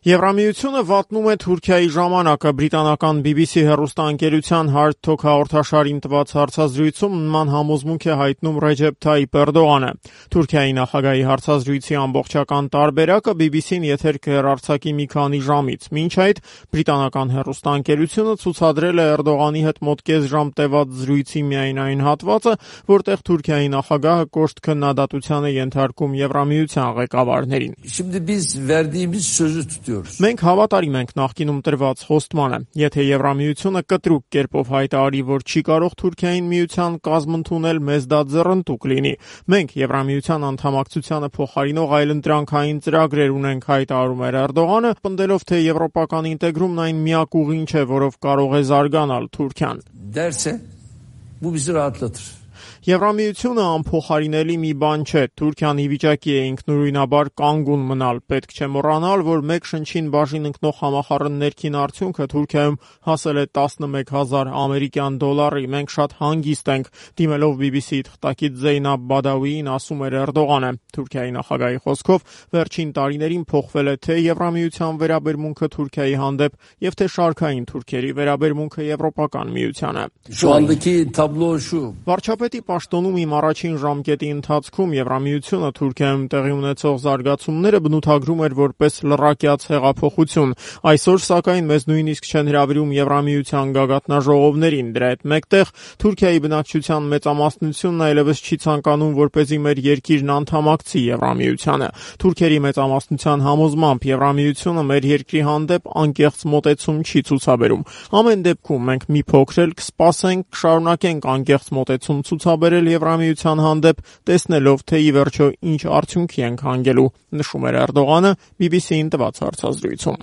Եվրամիությունը վատնում է Թուրքիայի ժամանակը։ Բրիտանական BBC հեռուստաընկերության Hard Talk հաղորդաշարին տված հարցազրույցում նման համոզմունք է հայտնում Ռեջեփ Թայիփ Էրդողանը։ Թուրքիայի նախագահի հարցազրույցի ամբողջական տարբերակը BBC-ն եթեր կհեռարձակի մի քանի ժամից։ Մինչ այդ բրիտանական հեռուստաընկերությունը ցուցադրել է Էրդողանի հետ մոտ կես ժամ տևած զրույցի միայն այն հատվածը, որտեղ Թուրքիայի նախագահը կոշտ քննադատության է ենթարկում Եվրամիության ղեկավարներին։ Մենք հավատարիմ ենք նախկինում տրված խոստմանը։ Եթե Եվրամիությունը կտրուկ կերպով հայտարարի, որ չի կարող Թուրքիային միության կազմ ընդունել, մեզ դա ձեռնտուկ լինի։ Մենք Եվրամիության անդամակցությանը փոխարինող այլընտրանքային ծրագրեր ունենք, հայտարարում էր Էրդողանը, պնդելով, թե եվրոպական ինտեգրումն այն միակ ուղին չէ, որով կարող է զարգանալ Թուրքիան։ Եվրամիությունը անփոխարինելի մի բան չէ։ Թուրքիան ի վիճակի է ինքնուրույնաբար կանգուն մնալ։ Պետք չէ մոռանալ, որ մեկ շնչին բաժին ընկնող համախառն ներքին արդյունքը Թուրքիայում հասել է 11,000 ամերիկյան դոլարի։ Մենք շատ հանգիստ ենք, դիմելով BBC-ի թղթակից Զեյնաբ Բադավիին ասում էր Էրդողանը։ Թուրքիայի նախագահի խոսքով վերջին տարիներին փոխվել է թե Եվրամիության վերաբերմունքը Թուրքիայի հանդեպ եւ թե շարքային թուրքերի վերաբերմունքը Եվրոպական միությանը։ Վարչապետի պաշտոնում իմ առաջին ժամկետի ընթացքում Եվրամիությունը Թուրքիայում տեղի ունեցող զարգացումները բնութագրում էր որպես լռակյաց հեղափոխություն։ Այսօր, սակայն, մեզ նույնիսկ չեն հրավիրում Եվրամիության գագաթնաժողովներին։ Դրա հետ մեկտեղ Թուրքիայի բնակչության մեծամասնությունն այլևս չի ցանկանում, որպեսզի մեր երկիրն անդամակցի Եվրամիությանը։ Թուրքերի մեծամասնության համոզմամբ Եվրամիությունը մեր երկրի հանդեպ անկեղծ մոտեցում չի ցուցաբերում։ Ամեն դեպքում մենք մի փոքր էլ կսպասենք, կշարունակենք անկեղծ մոտեցում ցուցաբերել Եվրամիության հանդեպ, տեսնելով, թե ի վերջո ինչ արդյունքի ենք հանգելու, նշում էր Էրդողանը BBC-ին տված հարցազրույցում։